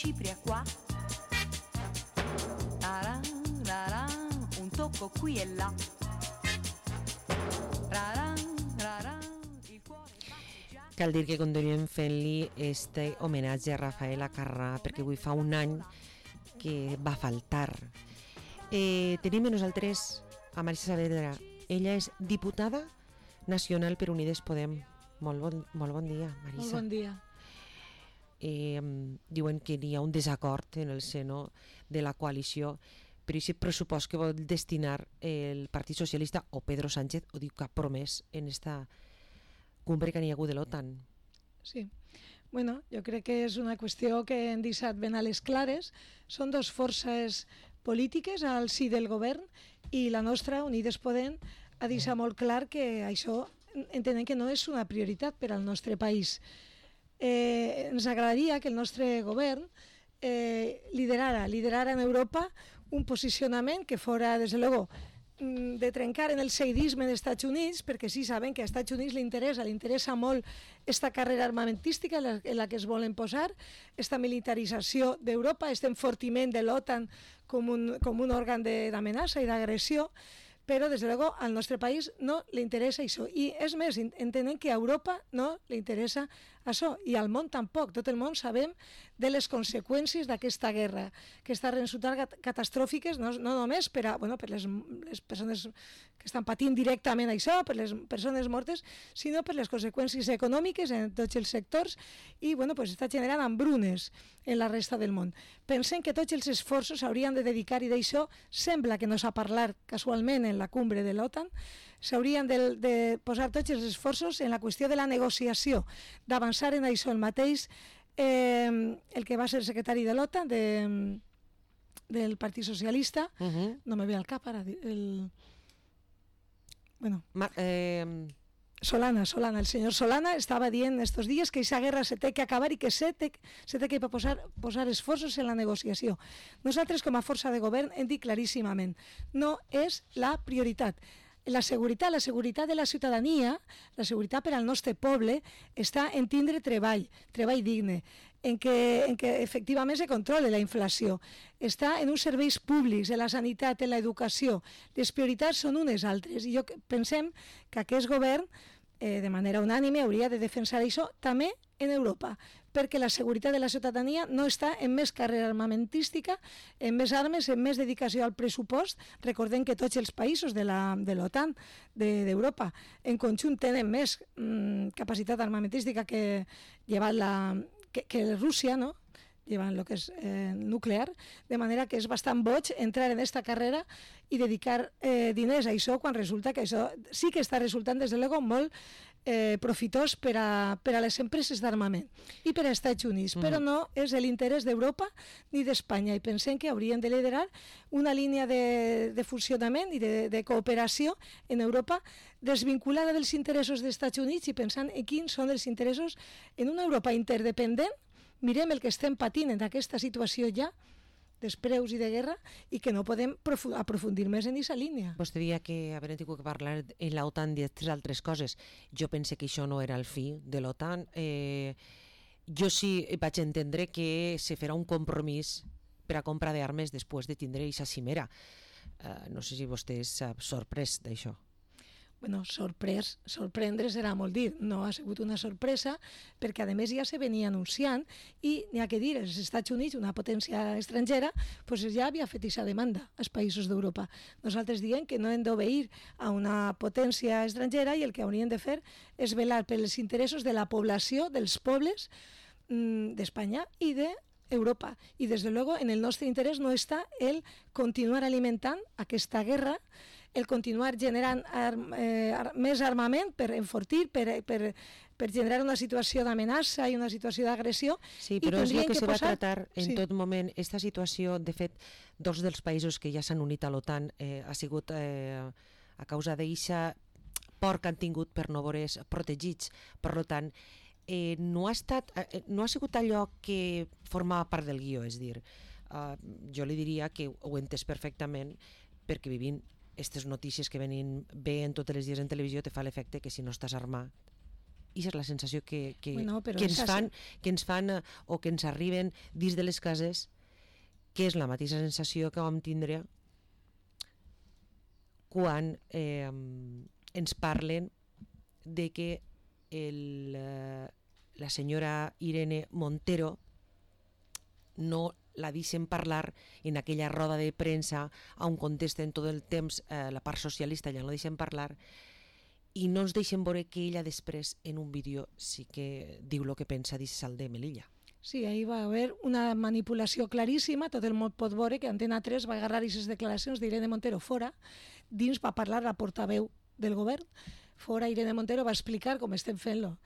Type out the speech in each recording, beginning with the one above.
cipria qua, un tocco qui e là. Cal dir que continuem fent-li este homenatge a Rafaela Carrà perquè avui fa un any que va faltar. Tenim amb nosaltres a Marisa Saavedra. Ella és diputada nacional per Unides Podem. Molt bon dia, Marisa. Molt bon dia. Diuen que hi ha un desacord en el seno de la coalició per aquest pressupost que vol destinar el Partit Socialista o Pedro Sánchez, o diu que ha promès en esta cumbre que n'hi ha hagut de l'OTAN. Sí. Bueno, jo crec que és una qüestió que hem deixat ben a les clares. Són dues forces polítiques al si del govern i la nostra, Unides Podem, ha deixat molt clar que això entenem que no és una prioritat per al nostre país. Ens agradaria que el nostre govern liderara en Europa un posicionament que fora, des de luego, de trencar en el seguidisme dels Estats Units, perquè sí sabem que als Estats Units li interessa molt esta carrera armamentística en la que es volen posar, esta militarització d'Europa, este enfortiment de l'OTAN com un òrgan d'amenaça i d'agressió, però des de luego al nostre país no li interessa això, i és més, entenem que a Europa no li interessa això, i al món tampoc. Tot el món sabem de les conseqüències d'aquesta guerra, que estan resultant catastròfiques no només per les persones que estan patint directament això, per les persones mortes, sinó per les conseqüències econòmiques en tots els sectors, i està generant hambrunes en la resta del món. Pensem que tots els esforços s'haurien de dedicar, i d'això sembla que no s'ha parlat casualment en la cumbre de l'OTAN, s'haurien de posar tots els esforços en la qüestió de la negociació, d'avançar en això. El mateix el que va ser secretari de l'OTAN del Partit Socialista, no me ve al cap ara Solana, el senyor Solana estava dient estos dies que aquesta guerra se té que acabar i que se té que posar esforços en la negociació. Nosaltres, com a força de govern, hem dit claríssimament, no és la prioritat. La seguretat de la ciutadania, la seguretat per al nostre poble, està en tindre treball digne, en que efectivament se controle la inflació, està en uns serveis públics, en la sanitat, en l'educació. Les prioritats són unes altres, i pensem que aquest govern, de manera unànime, hauria de defensar això també en Europa, perquè la seguretat de la ciutadania no està en més carrera armamentística, en més armes, en més dedicació al pressupost. Recordem que tots els països de l'OTAN, d'Europa, en conjunt tenen més capacitat armamentística que Rússia, no? llevant el que és nuclear, de manera que és bastant boig entrar en aquesta carrera i dedicar diners a això, quan resulta que això sí que està resultant, des de luego, molt profitós per a les empreses d'armament i per als Estats Units, però no és l'interès d'Europa ni d'Espanya, i pensem que haurien de liderar una línia de funcionament i de cooperació en Europa desvinculada dels interessos dels Estats Units i pensant en quins són els interessos en una Europa interdependent. Mirem el que estem patint en aquesta situació ja, despreus i de guerra, i que no podem aprofundir més en aquesta línia. Vostè deia que haver tingut que parlar en l'OTAN d'altres coses. Jo pense que això no era el fi de l'OTAN. Jo sí vaig entendre que se farà un compromís per a compra d'armes després de tindre aquesta cimera. No sé si vostè s'ha sorprès d'això. Bueno, sorprendre serà molt dir, no ha sigut una sorpresa, perquè a més ja se venia anunciant, i n'hi ha que dir, els Estats Units, una potència estrangera, pues ja havia fet aquesta demanda als països d'Europa. Nosaltres diem que no hem d'obeir a una potència estrangera, i el que haurien de fer és velar pels interessos de la població, dels pobles d'Espanya i d'Europa. I des de luego en el nostre interès no està el continuar alimentant aquesta guerra, el continuar generant més armament per enfortir, per generar una situació d'amenaça i una situació d'agressió. Sí, però és el que se va tratar en tot moment. Aquesta situació, de fet, dos dels països que ja s'han unit a l'OTAN ha sigut a causa d'aquesta por que han tingut per no veure's protegits. Per tant, no ha sigut allò que formava part del guió, és dir, jo li diria que ho he entès perfectament, perquè vivint aquestes notícies que veien tots els dies en televisió te fa l'efecte que si no estàs armat I és la sensació que ens fan o que ens arriben dins de les cases, que és la mateixa sensació que vam tindre quan ens parlen de que la senyora Irene Montero no la deixen parlar en aquella roda de premsa on contesten tot el temps la part socialista, ja no deixen parlar, i no ens deixen veure que ella després en un vídeo sí que diu el que pensa dins de Melilla. Sí, ahí va haver una manipulació claríssima, tot el món pot veure que Antena 3 va agarrar aquestes declaracions d'Irene Montero fora, dins va parlar la portaveu del govern, fora Irene Montero va explicar com estem fent-lo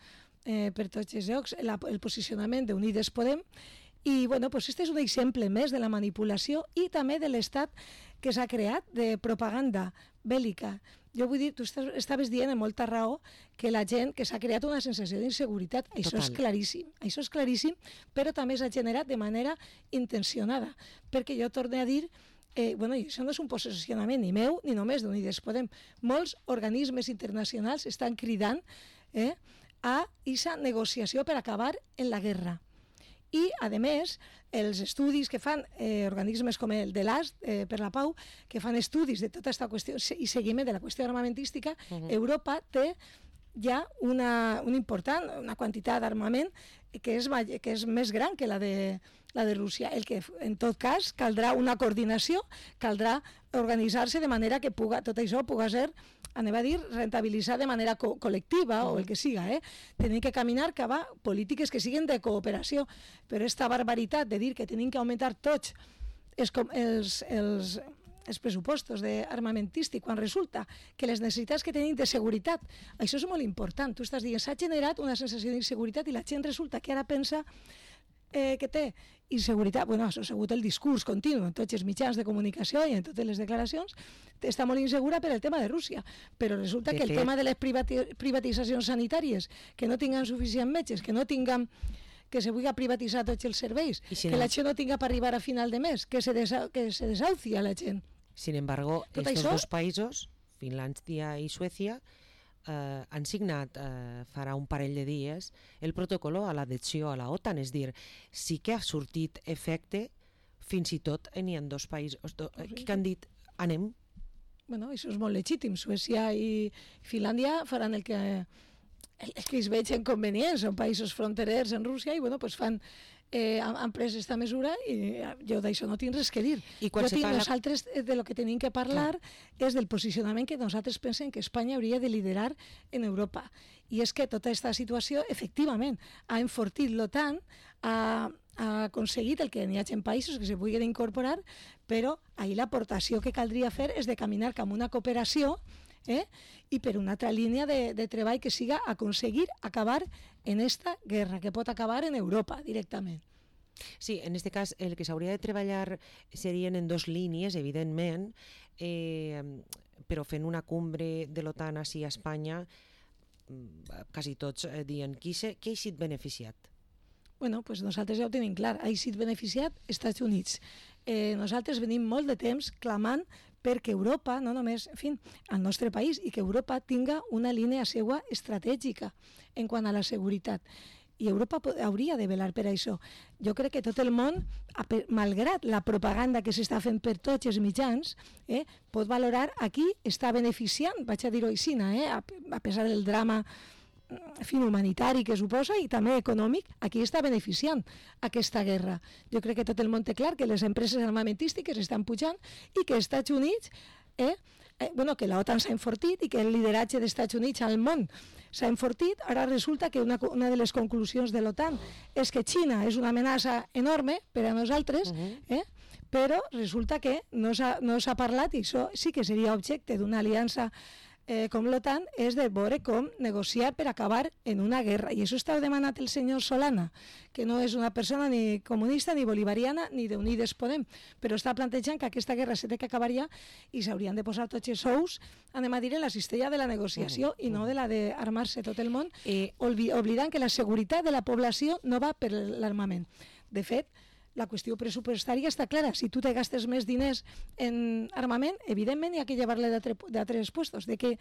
per tots els llocs, el posicionament d'Unides Podem, i bueno, pues este és un exemple més de la manipulació i també de l'estat que s'ha creat de propaganda bèl·lica. Jo vull dir, tu estaves dient amb molta raó que la gent, que s'ha creat una sensació d'inseguretat, això és claríssim, però també s'ha generat de manera intencionada, perquè jo torno a dir, bueno, això no és un posicionament ni meu ni només d'Unides Podem, molts organismes internacionals estan cridant a aquesta negociació per acabar en la guerra. I, a més, els estudis que fan organismes com el de l'AST per la Pau, que fan estudis de tota aquesta qüestió i seguiment de la qüestió armamentística, Europa té ja una quantitat d'armament que és més gran que la de Rússia. El que, en tot cas, caldrà una coordinació, caldrà organitzar-se de manera que tot això pugui ser, anem a dir, rentabilitzar de manera col·lectiva o el que siga. Tenim que caminar cap a polítiques que siguin de cooperació, però aquesta barbaritat de dir que tenim que augmentar tots els pressupostos d'armamentístic quan resulta que les necessitats que tenim de seguretat, això és molt important. Tu estàs dient, s'ha generat una sensació d'inseguretat i la gent resulta que ara pensa que té inseguretat. Bueno, això ha sigut el discurs continu en tots els mitjans de comunicació i en totes les declaracions, està molt insegura per el tema de Rússia, però resulta que el tema de les privatitzacions sanitàries, que no tinguem suficients metges, que se vulgui privatitzar tots els serveis, que la gent no tinga per arribar a final de mes, que se desahucia la gent. Sin embargo, estos dos països, Finlàndia i Suècia, han signat farà un parell de dies el protocol a l'adhesió a la OTAN, és dir, sí que ha sortit efecte, fins i tot n'hi ha dos països que han dit anem. Bueno, això és molt legítim. Suècia i Finlàndia faran el que ells vegin convenient, són països fronterers en Rússia i bueno, pues han pres aquesta mesura i jo d'això no tinc res que dir. Nosaltres de lo que tenim que parlar és del posicionament que nosaltres pensem que Espanya hauria de liderar en Europa. I és que tota aquesta situació, efectivament, ha enfortit l'OTAN, ha aconseguit el que n'hi hagi països que se puguin incorporar, però ahir l'aportació que caldria fer és de caminar cap a una cooperació i per una altra línia de treball que siga aconseguir acabar en esta guerra, que pot acabar en Europa directament. Sí, en aquest cas el que s'hauria de treballar serien en dos línies, evidentment, però fent una cumbre de l'OTAN així a Espanya, quasi tots diuen qui ha sigut beneficiat? Bueno, pues nosaltres ja ho tenim clar, ha sigut beneficiat Estats Units. Nosaltres venim molt de temps clamant perquè Europa, no només, en fi, al nostre país, i que Europa tinga una línia seua estratègica en quant a la seguretat. I Europa hauria de velar per això. Jo crec que tot el món, malgrat la propaganda que s'està fent per tots els mitjans, pot valorar a qui està beneficiant, vaig a dir-ho així, a pesar del drama humanitari que suposa i també econòmic, a qui està beneficiant aquesta guerra. Jo crec que tot el món té clar que les empreses armamentístiques estan pujant i que els Estats Units, que l'OTAN s'ha enfortit i que el lideratge dels Estats Units al món s'ha enfortit. Ara resulta que una de les conclusions de l'OTAN és que Xina és una amenaça enorme per a nosaltres, però resulta que no s'ha parlat, i això sí que seria objecte d'una aliança com l'OTAN, és de veure com negociar per acabar en una guerra. I això està demanat el senyor Solana, que no és una persona ni comunista, ni bolivariana, ni d'Unides Podem, però està plantejant que aquesta guerra s'ha d'acabar ja i s'haurien de posar tots els ous, anem a dir, en la cistella de la negociació i no de la d'armar-se tot el món, oblidant que la seguretat de la població no va per l'armament. De fet, la qüestió pressupostària està clara. Si tu te gastes més diners en armament, evidentment hi ha que llevar-le d'altres puestos. De que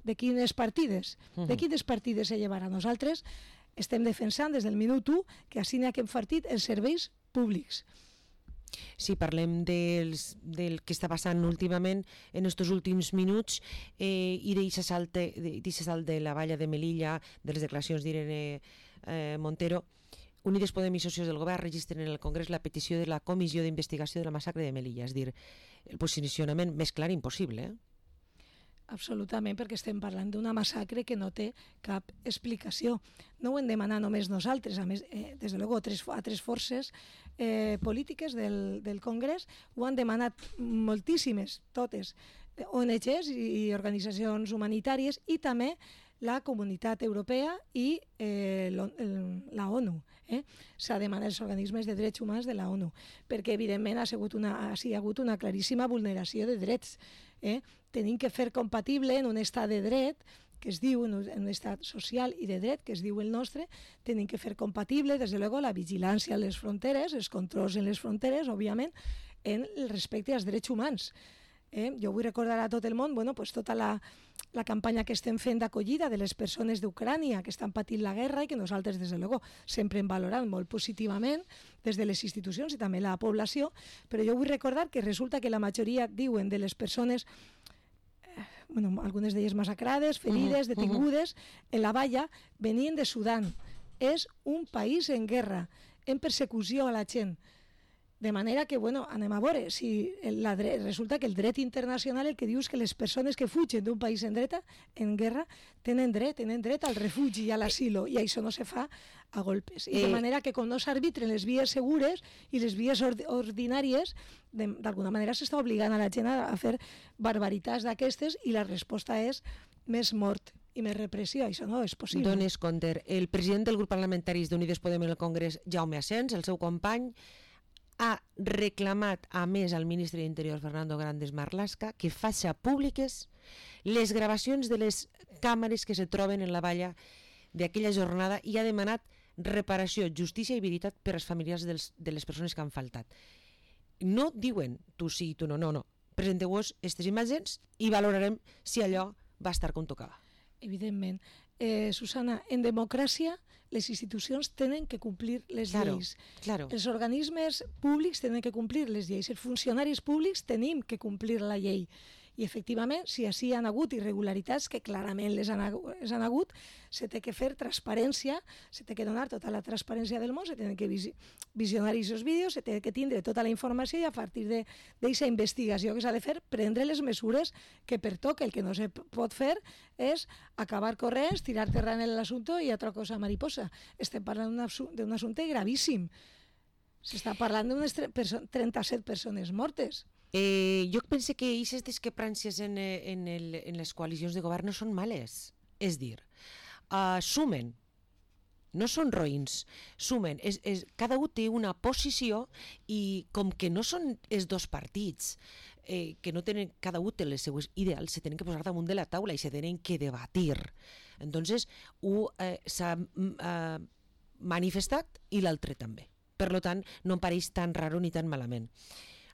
de quines partides? De quines partides se llevarà? Nosaltres estem defensant des del minut 1 que així n'hi ha que hem fartit els serveis públics. Si parlem del que està passant últimament en aquests últims minuts i d'aquest salt de la valla de Melilla, de les declaracions d'Irene Montero, Unides Podem i socios del govern registren en el Congrés la petició de la comissió d'investigació de la massacre de Melilla, és a dir, el posicionament més clar impossible. Absolutament, perquè estem parlant d'una massacre que no té cap explicació. No ho hem demanat només nosaltres, a més, des de luego, a tres forces polítiques del Congrés ho han demanat moltíssimes, totes, ONGs i organitzacions humanitàries i també la Comunitat Europea i la ONU. S'ha demanat els organismes de drets humans de la ONU, perquè evidentment ha hagut una claríssima vulneració de drets. Tenim que fer compatible en un estat de dret que es diu, en un estat social i de dret que es diu el nostre, tenim que fer compatible, des de luego, la vigilància a les fronteres, els controls en les fronteres, òbviament, en el respecte als drets humans. Jo vull recordar a tot el món tota la campanya que estem fent d'acollida de les persones d'Ucrània que estan patint la guerra i que nosaltres, des de luego, sempre hem valorat molt positivament des de les institucions i també la població, però jo vull recordar que resulta que la majoria, diuen, de les persones, algunes d'elles massacrades, ferides, detingudes, en la valla, venien de Sudan. És un país en guerra, en persecució a la gent. De manera que, anem a veure, si resulta que el dret internacional el que diu és que les persones que fugen d'un país en guerra tenen dret al refugi i a l'asilo, i això no se fa a golpes. I de manera que com no s'arbitren les vies segures i les vies ordinàries, d'alguna manera s'està obligant a la gent a fer barbaritats d'aquestes i la resposta és més mort i més repressió. Això no és possible. Dones Conter, el president del grup parlamentari d'Unides Podem en el Congrés, Jaume Asens, el seu company, ha reclamat a més al ministre d'Interior, Fernando Grandes Marlaska, que faci públiques les gravacions de les càmeres que se troben en la valla d'aquella jornada i ha demanat reparació, justícia i veritat per als familiars de les persones que han faltat. No diuen tu sí, tu no, no. Presenteu-vos aquestes imatges i valorarem si allò va estar com tocava. Evidentment. Susana, en democràcia les institucions tenen que complir les lleis. Els organismes públics tenen que complir les lleis. Els funcionaris públics tenim que complir la llei. I efectivament, si així hi ha hagut irregularitats, que clarament les han hagut, se té que fer transparència, se té que donar tota la transparència del món, se tenen que visionar aquests vídeos, se té que tindre tota la informació i a partir d'aquesta investigació que s'ha de fer, prendre les mesures que pertoca. El que no se pot fer és acabar corrents, tirar terra en l'assumpte i altra cosa mariposa. Estem parlant d'un assumpte gravíssim. S'està parlant d'unes 37 persones mortes. Jo penso que aquestes discrepàncies en les coalicions de govern no són males. És dir, sumen, no són roïns, sumen. Cada un té una posició i com que no són els dos partits, que no tenen, cada un té les seues ideals, se tenen que posar damunt de la taula i se tenen que debatir. Entonces, un s'ha manifestat i l'altre també. Per tant, no em pareix tan raro ni tan malament.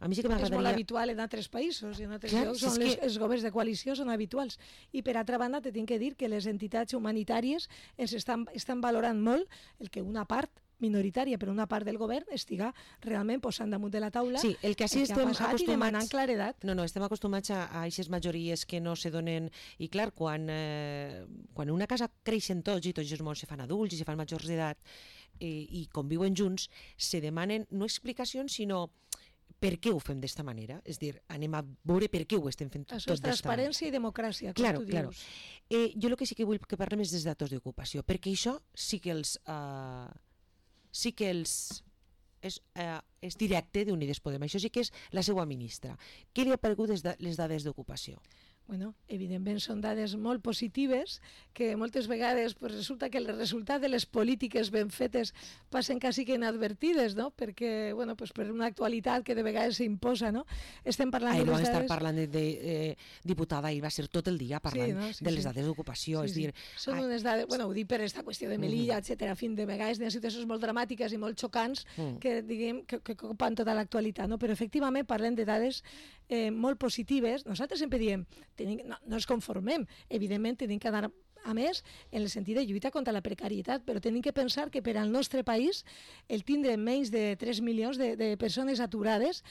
A mi sí que m'agradaria... És molt habitual en altres països, en altres llocs on els governs de coalició són habituals. I per altra banda, te tinc que dir que les entitats humanitàries ens estan valorant molt el que una part minoritària, però una part del govern estiga realment posant damunt de la taula el que estem acostumats i demanant claredat. No, estem acostumats a aquestes majories que no se donen... I clar, quan en una casa creixen tots i tots els mons se fan adults i se fan majors d'edat i conviuen junts, se demanen no explicacions, sinó per què ho fem d'esta manera? És dir, anem a veure per què ho estem fent tot d'esta manera. Això és transparència i democràcia, com tu dius. Jo el que sí que vull que parlem és dels datos d'ocupació, perquè això sí que és directe d'Unides Podem. Això sí que és la seva ministra. Què li ha paregut les dades d'ocupació? Evidentment són dades molt positives que moltes vegades resulta que el resultat de les polítiques ben fetes passen quasi que inadvertides, perquè per una actualitat que de vegades s'imposa. Estem parlant de les dades... estar parlant de diputada i va ser tot el dia parlant de les dades d'ocupació. Són unes dades, ho dic per aquesta qüestió de Melilla, etcètera, de vegades hi ha situacions molt dramàtiques i molt xocants que copen tota l'actualitat, però efectivament parlem de dades molt positives. Nosaltres sempre diem, no ens conformem, evidentment tenim que anar a més en el sentit de lluita contra la precarietat, però tenim que pensar que per al nostre país el tindre menys de 3 milions de persones aturades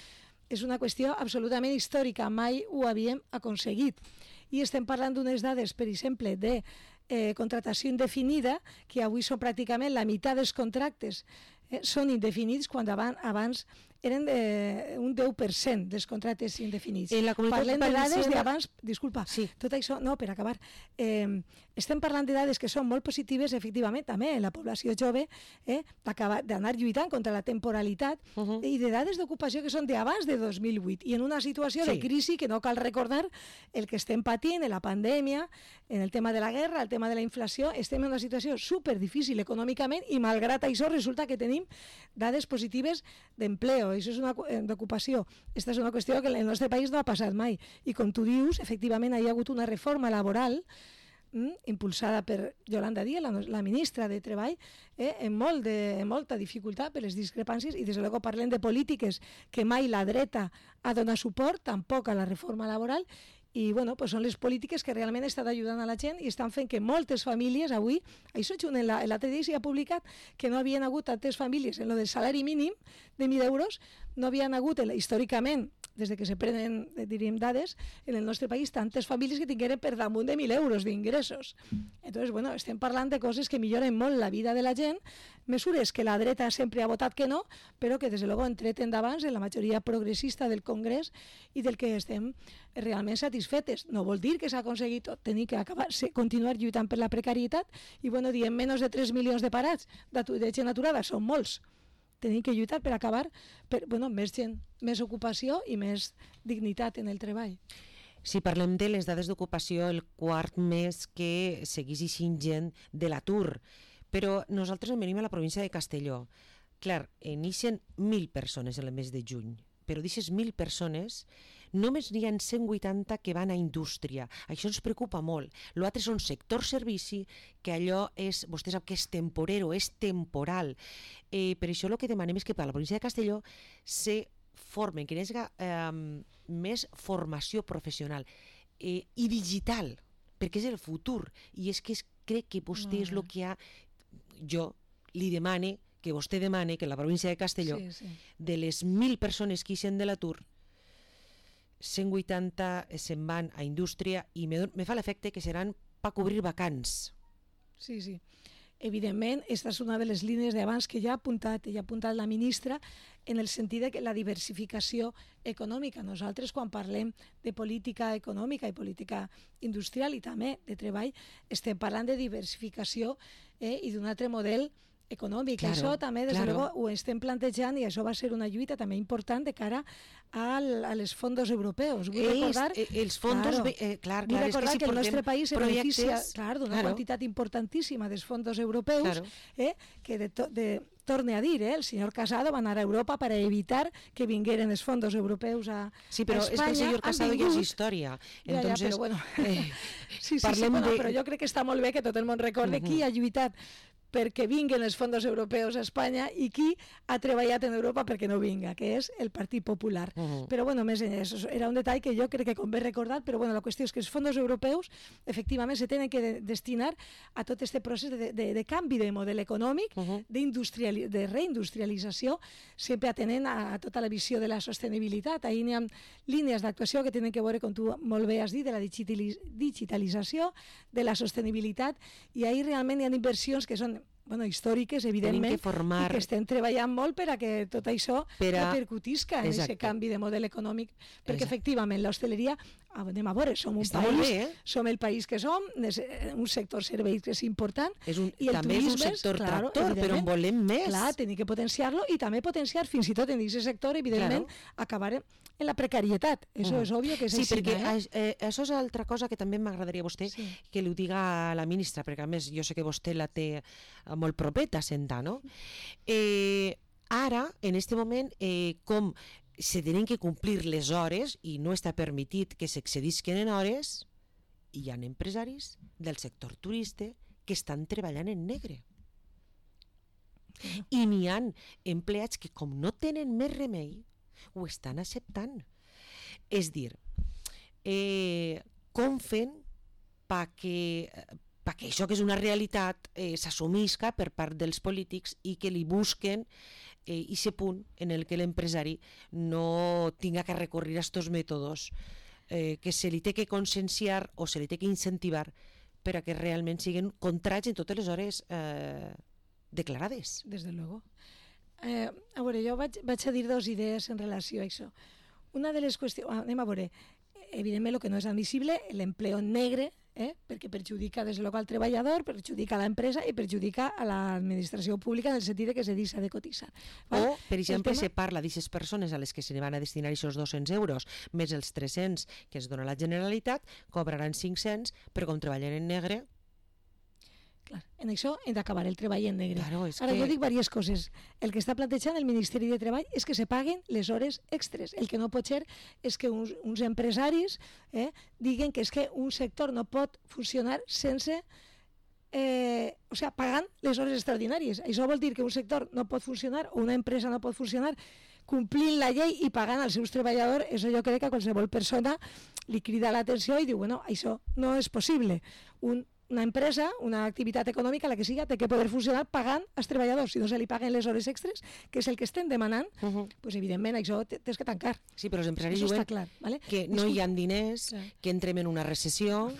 és una qüestió absolutament històrica, mai ho havíem aconseguit. I estem parlant d'unes dades, per exemple, de contractació indefinida, que avui són pràcticament la meitat dels contractes són indefinits, quan abans eren un 10% dels contractes indefinits. Parlem de dades d'abans... Disculpa, tot això... No, per acabar. Estem parlant de dades que són molt positives, efectivament, també en la població jove, d'anar lluitant contra la temporalitat, i de dades d'ocupació que són d'abans de 2008, i en una situació de crisi que no cal recordar el que estem patint, en la pandèmia, en el tema de la guerra, el tema de la inflació, estem en una situació superdifícil econòmicament, i malgrat això resulta que tenim dades positives d'empleo, això és una d'ocupació. Aquesta és una qüestió que en el nostre país no ha passat mai. I com tu dius, efectivament hi ha hagut una reforma laboral impulsada per Yolanda Díaz, la ministra de Treball, amb molta dificultat per les discrepàncies, i des de luego parlem de polítiques que mai la dreta ha donat suport, tampoc a la reforma laboral, i bueno, pues són les polítiques que realment estan ajudant a la gent i estan fent que moltes famílies avui, això l'altre dia s'ha publicat que no havien hagut tantes famílies en lo del salari mínim de 1.000 euros, no havien hagut històricament, des de que se prenen, diríem, dades, en el nostre país, tantes famílies que tingueren per damunt de 1.000 euros d'ingressos. Entonces, bueno, estem parlant de coses que milloren molt la vida de la gent, mesures que la dreta sempre ha votat que no, però que, des de luego, han tret endavant en la majoria progressista del Congrés i del que estem realment satisfetes. No vol dir que s'ha aconseguit tot, tenir que continuar lluitant per la precarietat, i, bueno, diem, menys de 3 milions de parats, de gent aturada, són molts. Tenim que lluitar per acabar per més gent, més ocupació i més dignitat en el treball. Si parlem de les dades d'ocupació, el quart mes que seguís eixint gent de l'atur, però nosaltres venim a la província de Castelló. Clar, n'ixen 1.000 persones en el mes de juny, però d'aquestes 1.000 persones només n'hi ha 180 que van a indústria. Això ens preocupa molt. L'altre són sector servici, que allò és, vostè sap que és temporero, és temporal. Per això el que demanem és que per a la província de Castelló se formen, que hi hagi més formació professional i digital, perquè és el futur. I és que crec que vostè és el que jo li demane, que vostè demane que la província de Castelló, de les 1.000 persones que ixen de l'atur, 180 se'n van a indústria, i me fa l'efecte que seran per cobrir vacants. Sí. Evidentment, aquesta és una de les línies d'abans que ja ha apuntat la ministra, en el sentit de que la diversificació econòmica. Nosaltres, quan parlem de política econòmica i política industrial i també de treball, estem parlant de diversificació i d'un altre model econòmic. Claro, això també, des de luego, ho estem plantejant, i això va ser una lluita també important de cara a les fondos europeus. Vull recordar, els fondos, clar, vull recordar és que el nostre país se beneficia d'una quantitat importantíssima dels fondos europeus, que torne a dir, el senyor Casado va anar a Europa per evitar que vingueren els fondos europeus a Espanya. Sí, però és que el senyor Casado ja és història. Entonces, però bueno, però jo crec que està molt bé que tot el món recorde qui ha lluitat perquè vinguen els fons europeus a Espanya i qui ha treballat en Europa perquè no vinga, que és el Partit Popular. Però, bueno, més enllà, era un detall que jo crec que convé recordar, però, bueno, la qüestió és que els fons europeus, efectivament, se tenen que destinar a tot aquest procés de canvi de model econòmic, de reindustrialització, sempre atenent a tota la visió de la sostenibilitat. Ahir hi ha línies d'actuació que tenen que veure, com tu molt bé has dit, de la digitalització, de la sostenibilitat, i ahir realment hi ha inversions que són històriques, evidentment, i que estem treballant molt per a que tot això repercutisca en aquest canvi de model econòmic, perquè efectivament l'hostaleria, anem a veure, som un país, som el país que som, un sector serveis que és important, i també és un sector tractor, però en volem més. Clar, tenim que potenciar-lo, i també potenciar fins i tot en aquest sector, evidentment, acabar en la precarietat. Això és òbvio que és així. Sí, perquè això és altra cosa que també m'agradaria a vostè que li ho diga a la ministra, perquè a més jo sé que vostè la té molt propeta a sentar, no? Ara, en aquest moment, com se tenen que complir les hores i no està permitit que s'excedisquen en hores, hi ha empresaris del sector turista que estan treballant en negre. I n'hi ha empleats que, com no tenen més remei, ho estan acceptant. És dir, com fem perquè això que és una realitat s'assumisca per part dels polítics i que li busquen aquest punt en el que l'empresari no tinga que recurrir a aquests mètodes que se li té que conscienciar o se li té que incentivar per a que realment siguin contrats en totes les hores declarades. Des de luego. A veure, jo vaig a dir dues idees en relació a això. Una de les qüestions... Anem a veure. Evidentment, el que no és admissible, l'empleo negre, perquè perjudica des de local al treballador, perjudica a l'empresa i perjudica a l'administració pública en el sentit que se deixa de cotitzar. O, per exemple, se parla d'aquestes persones a les que se van a destinar aquests 200 euros més els 300 que es dona la Generalitat, cobraran 500, però com treballen en negre... Clar, en això hem d'acabar el treball en negre. Claro, ara jo dic diverses coses. El que està plantejant el Ministeri de Treball és que se paguen les hores extres. El que no pot ser és que uns empresaris diguen que és que un sector no pot funcionar sense pagant les hores extraordinàries. Això vol dir que un sector no pot funcionar o una empresa no pot funcionar complint la llei i pagant als seus treballadors. Això jo crec que a qualsevol persona li crida l'atenció i diu, bueno, això no és possible. Una empresa, una activitat econòmica, la que siga, té que poder funcionar pagant als treballadors. Si no se li paguen les hores extres, que és el que estem demanant, doncs evidentment això tens que tancar. Sí, però els empresaris diuen clar, ¿vale? Que no hi ha diners, que entrem en una recessió...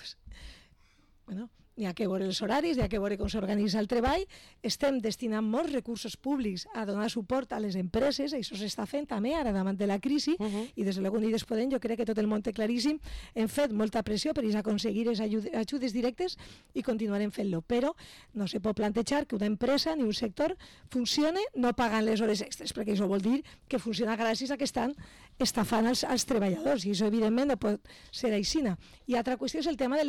Bueno, n'hi ha que veure els horaris, n'hi ha que veure com s'organitza el treball. Estem destinant molts recursos públics a donar suport a les empreses, això s'està fent també ara davant de la crisi, i des de l'Unió Unides Podem jo crec que tot el món té claríssim, hem fet molta pressió per aconseguir les ajudes directes i continuarem fent-lo, però no se pot plantejar que una empresa ni un sector funcione no pagant les hores extres, perquè això vol dir que funciona gràcies a que estan estafant els treballadors, i això evidentment no pot ser així. I altra qüestió és el tema de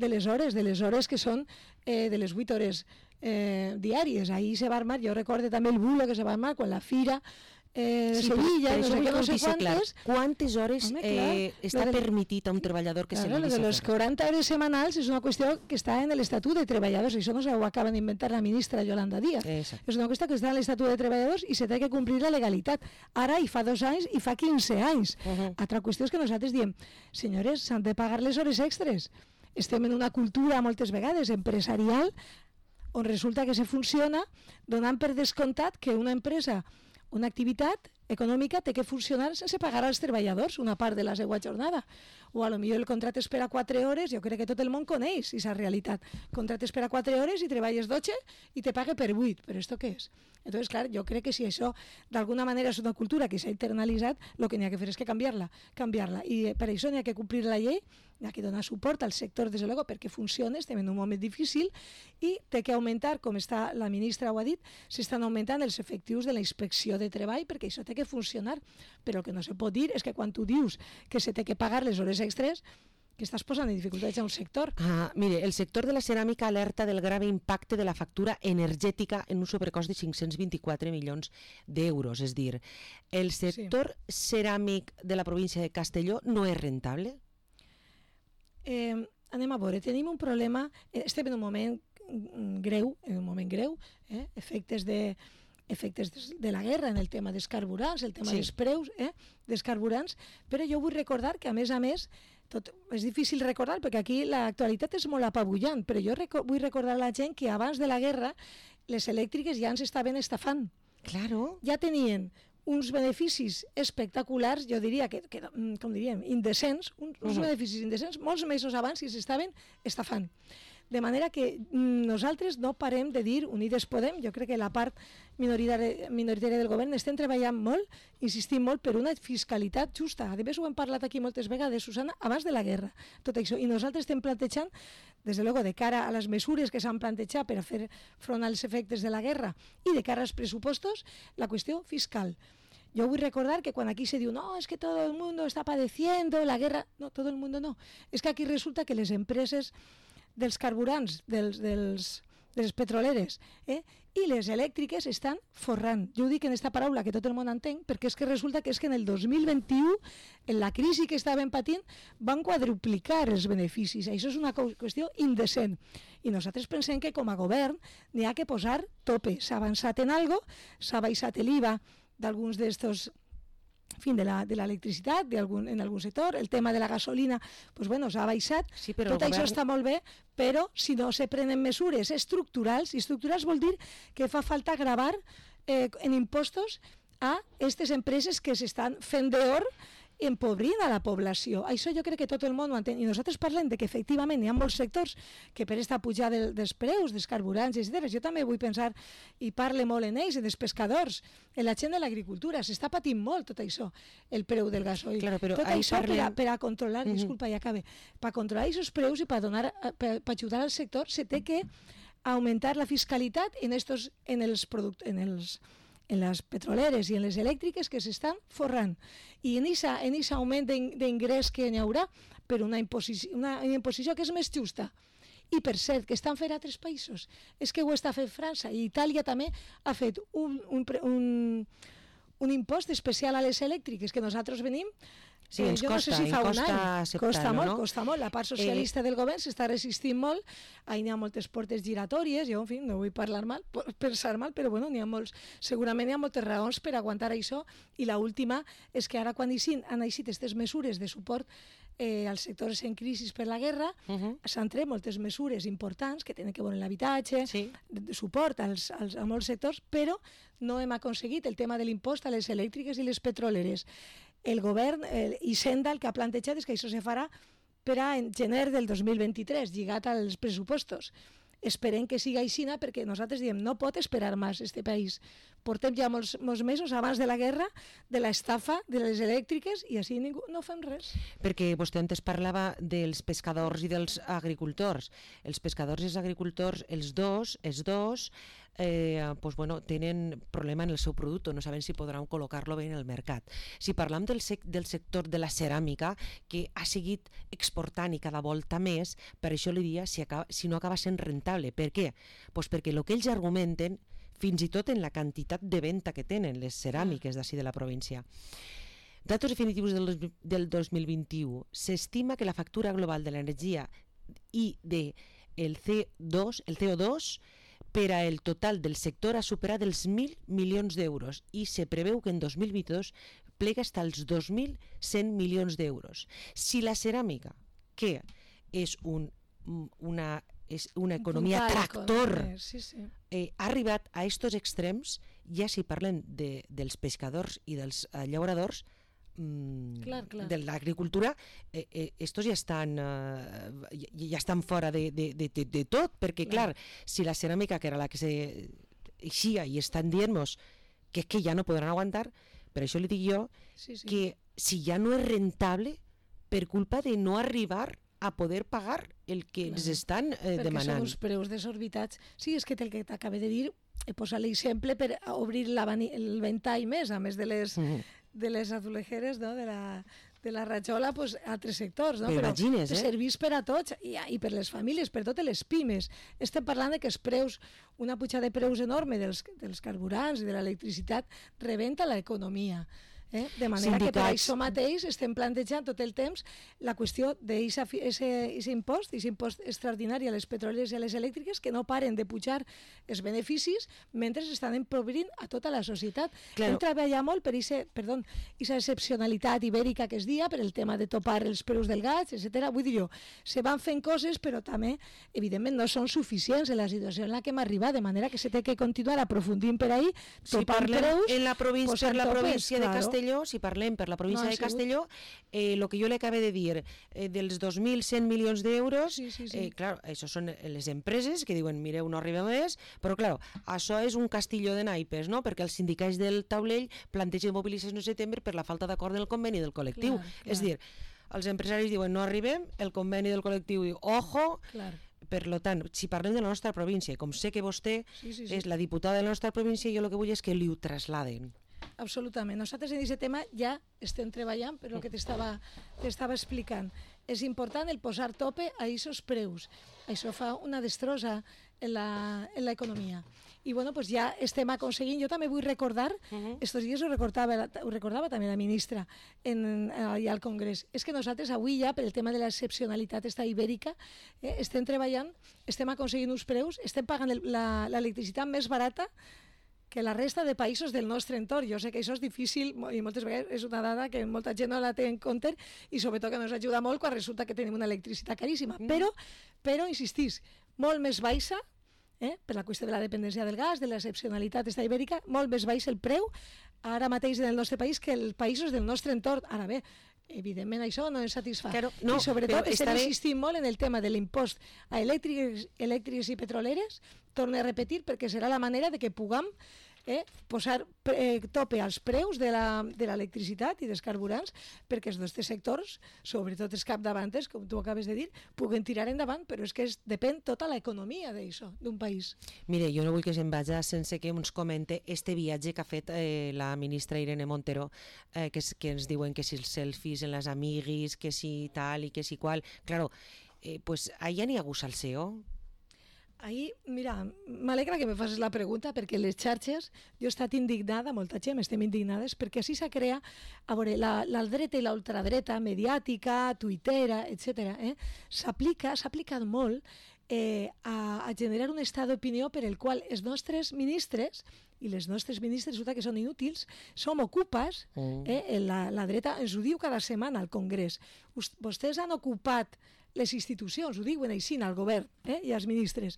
les hores que són de les 8 hores diàries. Ahir se va armar, jo recordo també el bulo que se va armar quan la fira Sevilla, no sé quantes. Quantes hores està permitit a un treballador que se li deixa fer? Les 40 hores setmanals és una qüestió que està en l'Estatut de Treballadors, això no s'ho acaba d'inventar la ministra Yolanda Díaz. És una qüestió que està en l'Estatut de Treballadors i se té que complir la legalitat. Ara hi fa 2 anys i fa 15 anys. Altra qüestió és que nosaltres diem, senyores, s'han de pagar les hores extres. Estem en una cultura moltes vegades empresarial on resulta que se funciona donant per descomptat que una empresa, una activitat econòmica té que funcionar sense pagar als treballadors una part de la seva jornada. O a lo millor el contracte és per a 4 hores, jo crec que tot el món coneix aquesta realitat. Contractes per a 4 hores i treballes 12 i te pague per 8, però esto què és? Entonces, clar, jo crec que si això d'alguna manera és una cultura que s'ha internalitzat, el que n'hi ha que fer és que canviar-la. I per això n'hi ha que complir la llei, n'hi ha que donar suport al sector, des de luego, perquè funcioni, estem en un moment difícil i té que augmentar, com està la ministra ho ha dit, s'estan augmentant els efectius de la inspecció de treball, perquè això té que funcionar. Però el que no se pot dir és que quan tu dius que se té que pagar les hores extres, que estàs posant en dificultats a un sector. Mire, el sector de la ceràmica alerta del grave impacte de la factura energètica en un sobrecost de 524 milions d'euros. És dir, el sector ceràmic de la província de Castelló no és rentable? Anem a veure, tenim un problema, estem en un moment greu, efectes de la guerra en el tema dels carburants, el tema dels preus dels carburants, però jo vull recordar que a més, és difícil recordar perquè aquí l'actualitat és molt apabullant, però jo vull recordar a la gent que abans de la guerra les elèctriques ja ens estaven estafant. Claro. Ja tenien uns beneficis espectaculars, jo diria que com diríem, indecents, uns beneficis indecents, molts mesos abans i s'estaven estafant. De manera que nosaltres no parem de dir, Unides Podem, jo crec que la part minoritària del govern estem treballant molt, insistint molt per una fiscalitat justa. A més, ho hem parlat aquí moltes vegades, Susana, abans de la guerra, tot això. I nosaltres estem plantejant, des de luego, de cara a les mesures que s'han plantejat per a fer front als efectes de la guerra i de cara als pressupostos, la qüestió fiscal. Yo voy a recordar que cuando aquí se diu no, es que todo el mundo está padeciendo la guerra, no, todo el mundo no. Es que aquí resulta que les empreses dels carburants, de les petroleres i les elèctriques estan forrant. Jo ho dic en aquesta paraula que tot el món entén, perquè és que resulta que és que en el 2021, en la crisi que estaven patint, van quadruplicar els beneficis. Això és una qüestió indecent. I nosaltres pensem que com a govern n'hi ha que posar tope. S'ha avançat en algo, s'ha baixat l'IVA d'alguns d'estos fin, de l'electricitat en algun sector, el tema de la gasolina pues bueno, s'ha baixat, sí, però tot això està molt bé, però si no se prenen mesures estructurals, i estructurals vol dir que fa falta gravar en impostos a aquestes empreses que s'estan fent d'or empobrint a la població. Això jo crec que tot el món ho entén. I nosaltres parlem de que efectivament hi ha molts sectors que per esta pujada dels preus, dels carburants, etc. Jo també vull pensar, i parle molt en ells, en els pescadors, en la gent de l'agricultura. S'està patint molt tot això, el preu del gasoil. Claro, tot això per a controlar, disculpa, ja acabe, per a controlar aquests preus i per ajudar al sector, se té que augmentar la fiscalitat en les petroleres i en les elèctriques que s'estan forrant. I en aquest augment d'ingrés que hi haurà per una imposició que és més justa. I per cert, que estan fent altres països. És que ho està fent França i Itàlia també ha fet un impost especial a les elèctriques que nosaltres venim. Sí, ens costa, no sé si fa un any. Costa molt, costa molt. La part socialista del govern s'està resistint molt. Ahí n'hi ha moltes portes giratòries. Jo, en fi, no vull pensar mal, però bueno, segurament hi ha moltes raons per aguantar això. I l'última és que ara quan han eixit aquestes mesures de suport als sectors en crisi per la guerra, s'han tret moltes mesures importants que tenen que veure l'habitatge, de suport a molts sectors, però no hem aconseguit el tema de l'impost a les elèctriques i les petroleres. El govern i Senda el que ha plantejat és que això se farà per a gener del 2023, lligat als pressupostos. Esperem que siga així, perquè nosaltres diem no pot esperar més este país. Portem ja molts mesos abans de la guerra, de l'estafa de les elèctriques, i així no fem res. Perquè vostè antes parlava dels pescadors i dels agricultors. Els pescadors i els agricultors, els dos, tenen problema en el seu producte, no saben si podran col·locar-lo bé en el mercat. Si parlam del sector de la ceràmica, que ha seguit exportant i cada volta més, per això li dia si no acaba sent rentable. Per què? Pues perquè el que ells argumenten, fins i tot en la quantitat de venda que tenen les ceràmiques d'ací de la província. Datos definitius del 2021. S'estima que la factura global de l'energia i del CO2 per a el total del sector ha superat els 1.000 milions d'euros i se preveu que en 2022 plega fins als 2.100 milions d'euros. Si la ceràmica, que és una economia tractor, ha arribat a estos extrems, ja si parlem dels pescadors i dels llauradors, de l'agricultura, estos ja estan fora de tot, perquè clar, si la ceràmica, que era la que s'eixia i estan dient-nos que ja no podran aguantar, per això li dic jo que si ja no és rentable per culpa de no arribar a poder pagar el que ens estan demanant. Perquè són uns preus desorbitats. Sí, és que el que t'acabé de dir, he posat l'exemple per obrir el ventall més, a més de les azulejeres, no? de la rajola, pues, a altres sectors. No? Però imagines, serveix per a tots i per les famílies, per totes les pimes. Estem parlant de que els preus, una pujada de preus enorme dels carburants i de l'electricitat rebenta l'economia. De manera que per això mateix estem plantejant tot el temps la qüestió d'aquest impost, aquest impost extraordinari a les petroleres i a les elèctriques, que no paren de pujar els beneficis mentre estan empobrint a tota la societat. Hem treballat molt per aquesta excepcionalitat ibèrica que es dia, per el tema de topar els preus del gas, etc. Vull dir jo, se van fent coses, però també, evidentment, no són suficients en la situació en la que hem arribat, de manera que se té que continuar aprofundint per ahí, topant preus. En la província de Castelló, si parlem per la província de Castelló, el que jo li acabo de dir, dels 2.100 milions d'euros, clar, això són les empreses que diuen, mireu, no arriba més, però clar, això és un castilló de naipes, no? Perquè els sindicats del taulell plantegen mobilització en setembre per la falta d'acord del conveni del col·lectiu. És dir, els empresaris diuen, no arribem, el conveni del col·lectiu diu, ojo. Per tant, si parlem de la nostra província, com sé que vostè és la diputada de la nostra província, jo el que vull és que li ho trasladen. Absolutament. Nosaltres en aquest tema ja estem treballant, però el que t'estava explicant. És important el posar tope a aquests preus. Això fa una destrossa en l'economia. I bueno, pues ja estem aconseguint. Jo també vull recordar, estos dies ho recordava també la ministra allà al Congrés, és que nosaltres avui ja, per el tema de l'excepcionalitat esta ibèrica, estem treballant, estem aconseguint uns preus, estem pagant l'electricitat més barata que la resta de països del nostre entorn. Jo sé que això és difícil i moltes vegades és una dada que molta gent no la té en compte i sobretot que no ens ajuda molt quan resulta que tenim una electricitat caríssima. Però insistís, molt més baixa, per la qüestió de la dependència del gas, de l'excepcionalitat esta ibèrica, molt més baix el preu ara mateix en el nostre país que els països del nostre entorn. Ara bé, evidentment això no ens satisfà. Claro, no, i sobretot estem insistint molt en el tema de l'impost a elèctriques i petroleres, torno a repetir, perquè serà la manera de que puguem posar tope als preus de l'electricitat i dels carburants perquè els nostres sectors, sobretot els capdavanters, com tu acabes de dir, puguen tirar endavant, però és que depèn tota l'economia d'això, d'un país. Mire, jo no vull que se'n vagi sense que ens comente este viatge que ha fet la ministra Irene Montero, que ens diuen que si els selfies en les amiguis, que si tal i que si qual. Claro, pues allà n'hi ha hagut salseo. Ahir, mira, m'alegra que me facis la pregunta perquè les xarxes, jo he estat indignada, molta gent estem indignades, perquè així s'ha creat, a veure, la dreta i la ultradreta mediàtica, tuitera, etc. S'ha aplicat molt a generar un estat d'opinió per el qual els nostres ministres i les nostres ministres resulta que són inútils, som ocupes, la dreta ens ho diu cada setmana al Congrés. Vostès han ocupat les institucions, ho diuen així al govern i als ministres.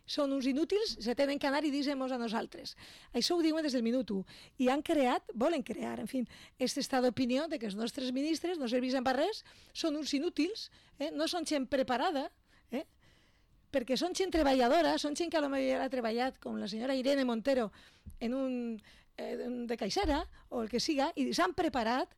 Són uns inútils, se tenen que anar i dir-nos a nosaltres. Això ho diuen des del minut 1. I volen crear, en fi, aquest estat d'opinió de que els nostres ministres no serveixen per res, són uns inútils, no són gent preparada, perquè són gent treballadora, són gent que potser ha treballat, com la senyora Irene Montero, de caixera o el que siga, i s'han preparat,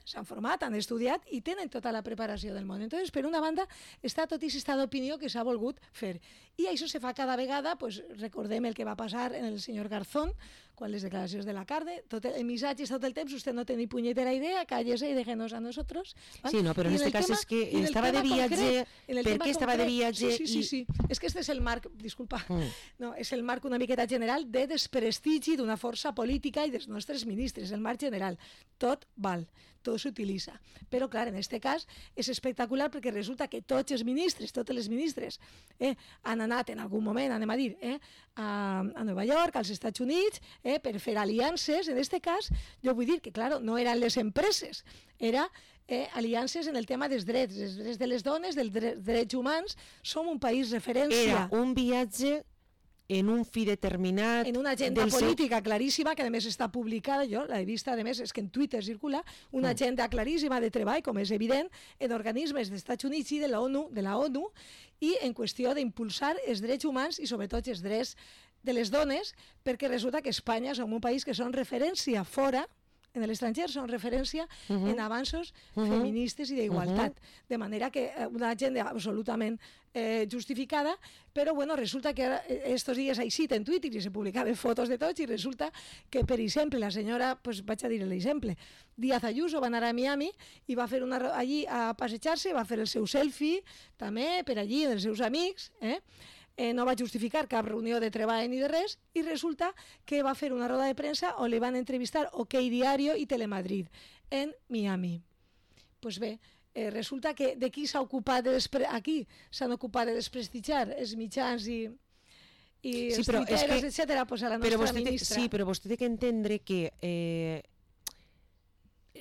s'han format, han estudiat i tenen tota la preparació del món. Entonces, per una banda, està tot aquest estat d'opinió que s'ha volgut fer. I això se fa cada vegada, pues, recordem el que va passar en el senyor Garzón, quan les declaracions de la Carde, tot el missatge tot el temps, usted no té ni punyetera idea, cállese y déjenos a nosotros. ¿Vale? Sí, no, però en este cas és que estava de viatge, per què estava de viatge? Sí, és que este és el marc, disculpa, no, és el marc una miqueta general de desprestigi d'una força política i dels nostres ministres, el marc general. Tot val, tot s'utilitza. Però, clar, en aquest cas és espectacular perquè resulta que tots els ministres, totes les ministres, han anat en algun moment, anem a dir, a Nova York, als Estats Units, per fer aliances. En aquest cas, jo vull dir que, clar, no eren les empreses, era aliances en el tema dels drets de les dones, dels drets humans. Som un país referència. Era un viatge en un fi determinat... En una agenda política claríssima, que a més està publicada, jo l'he vista, a més, és que en Twitter circula, una agenda claríssima de treball, com és evident, en organismes dels Estats Units i de la ONU, i en qüestió d'impulsar els drets humans i sobretot els drets de les dones, perquè resulta que Espanya som un país que són referència fora, en l'estranger són referència en avanços feministes i d'igualtat. De manera que una agenda absolutament justificada, però bueno, resulta que estos dies així en Twitter i se publicaven fotos de tots i resulta que, per exemple, la senyora, pues vaig a dir l'exemple, Díaz Ayuso va anar a Miami i va fer allí a passejar-se, va fer el seu selfie també per allí, dels seus amics, no va justificar cap reunió de treball ni de res i resulta que va fer una roda de premsa on li van entrevistar OK Diario i Telemadrid en Miami. Pues bé, resulta que de qui s'ha ocupat aquí s'han ocupat de desprestigiar els mitjans i els tuiteros, etcètera, pues a la nostra ministra. Sí, però vostè té que entendre que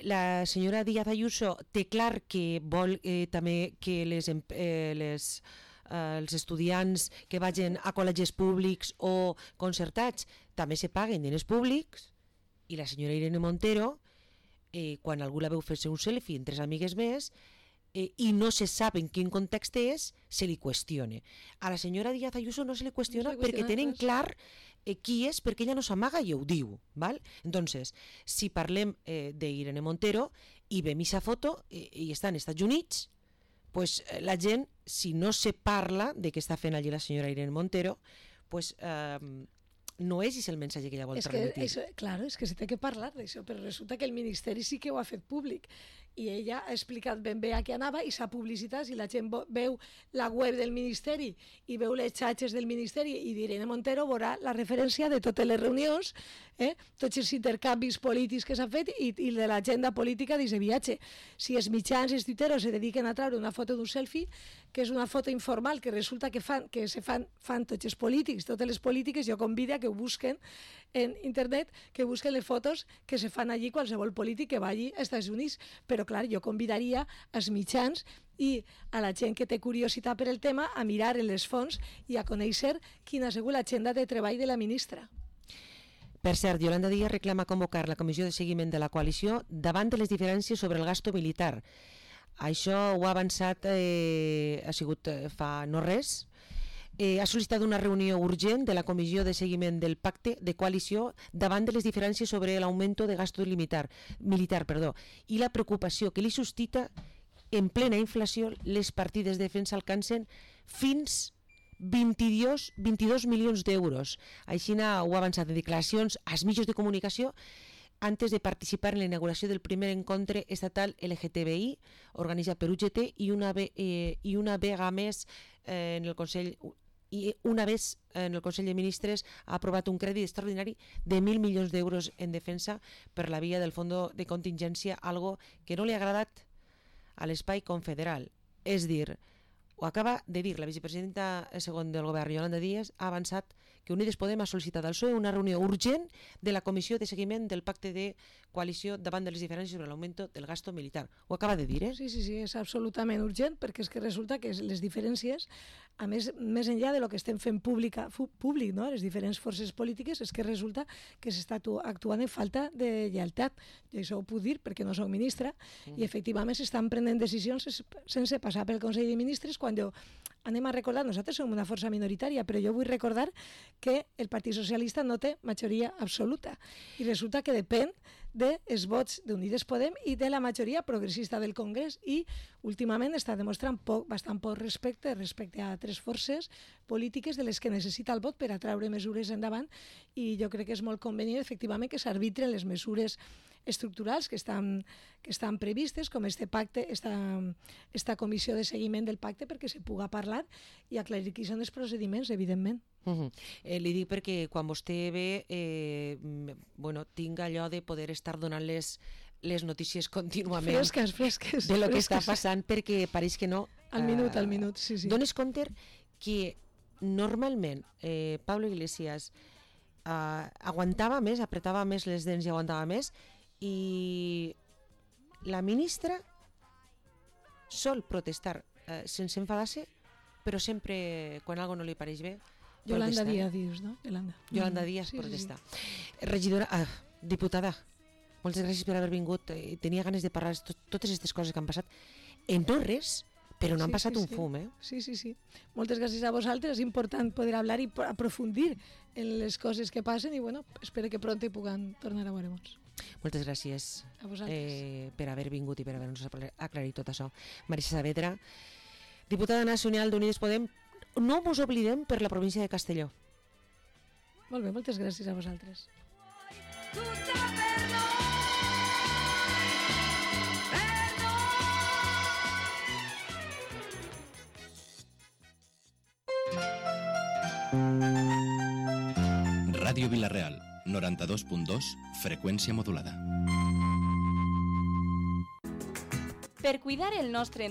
la senyora Díaz Ayuso té clar que vol també que els estudiants que vagin a col·legis públics o concertats també se paguen diners públics, i la senyora Irene Montero, quan algú la veu fer-se un selfie entre amigues més i no se sap en quin context és, se li qüestiona. A la senyora Díaz Ayuso no se li qüestiona perquè tenen clar qui és, perquè ella no s'amaga i ho diu. ¿Val? Entonces, si parlem d'Irene Montero i veiem aquesta foto i està als Estats Units, pues la gent, si no se parla de què està fent allí la senyora Irene Montero, pues no és el missatge que ella vol transmetir. Claro, és que se té que parlar d'això, però resulta que el Ministeri sí que ho ha fet públic, i ella ha explicat ben bé a què anava i s'ha publicitat. Si la gent veu la web del Ministeri i veu les xatxes del Ministeri i d'Irene Montero, veurà la referència de totes les reunions, tots els intercanvis polítics que s'han fet i de l'agenda política d'aquest viatge. Si els mitjans, els tuiteros, se dediquen a treure una foto d'un selfie, que és una foto informal que resulta que fan tots els polítics, totes les polítiques, jo convido a que ho busquen en internet, que busquen les fotos que se fan allí qualsevol polític que vagi als Estats Units. Però, clar, jo convidaria als mitjans i a la gent que té curiositat per el tema a mirar en les fonts i a conèixer quina ha sigut l'agenda de treball de la ministra. Per cert, Yolanda Díaz reclama convocar la comissió de seguiment de la coalició davant de les diferències sobre el gasto militar. Això ho ha avançat, ha sigut fa no res. Ha sol·licitat una reunió urgent de la comissió de seguiment del pacte de coalició davant de les diferències sobre l'augmento de gasto militar i la preocupació que li suscita en plena inflació les partides de defensa alcancen fins 22 milions d'euros. Així ho ha avançat en declaracions als mitjans de comunicació antes de participar en la inauguració del primer encontre estatal LGTBI organitzat per UGT i una vegada més en el Consell de Ministres ha aprovat un crèdit extraordinari de 1.000 milions d'euros en defensa per la via del Fons de Contingència, algo que no li ha agradat a l'espai confederal. És dir, ho acaba de dir la vicepresidenta segon del govern, Yolanda Díaz, ha avançat que Unides Podem ha sol·licitat al PSOE una reunió urgent de la comissió de seguiment del pacte de coalició davant de les diferències sobre l'augment del gasto militar. Ho acaba de dir, Sí, és absolutament urgent, perquè és que resulta que les diferències, a més enllà de lo que estem fent públic, no? Les diferents forces polítiques, és que resulta que s'està actuant en falta de lleialtat. Jo això ho puc dir perquè no soc ministra, i efectivament s'estan prenent decisions sense passar pel Consell de Ministres, quan anem a recordar, nosaltres som una força minoritària, però jo vull recordar que el Partit Socialista no té majoria absoluta i resulta que depèn dels vots d'Unides Podem i de la majoria progressista del Congrés, i últimament està demostrant bastant poc respecte a altres forces polítiques de les que necessita el vot per a treure mesures endavant, i jo crec que és molt convenient efectivament que s'arbitren les mesures estructurals que estan previstes, com este pacte, esta comissió de seguiment del pacte, perquè se puga parlar i aclarir quins són els procediments, evidentment. Li dic perquè quan vostè ve tinc allò de poder estar donant les notícies contínuament fresques de lo que està passant, perquè pareix que no. Al minut, sí. Dones compte que normalment Pablo Iglesias aguantava més, apretava més les dents i aguantava més, i la ministra sol protestar sense enfadar-se, però sempre quan algo no li pareix bé Yolanda Díaz dius, no? Yolanda Díaz protesta. Regidora, diputada, moltes gràcies per haver vingut. Tenia ganes de parlar de totes aquestes coses que han passat en no res, però no han passat un fum, Sí. Moltes gràcies a vosaltres. És important poder hablar i aprofundir en les coses que passen, i espero que pronto puguem tornar a veure-nos. Moltes gràcies per haver vingut i per haver-nos aclarit tot això. Marisa Saavedra, diputada nacional d'Unides Podem, no us oblidem per la província de Castelló. Molt bé, moltes gràcies a vosaltres. Ràdio Vila-real, 92.2, freqüència modulada. Per cuidar el nostre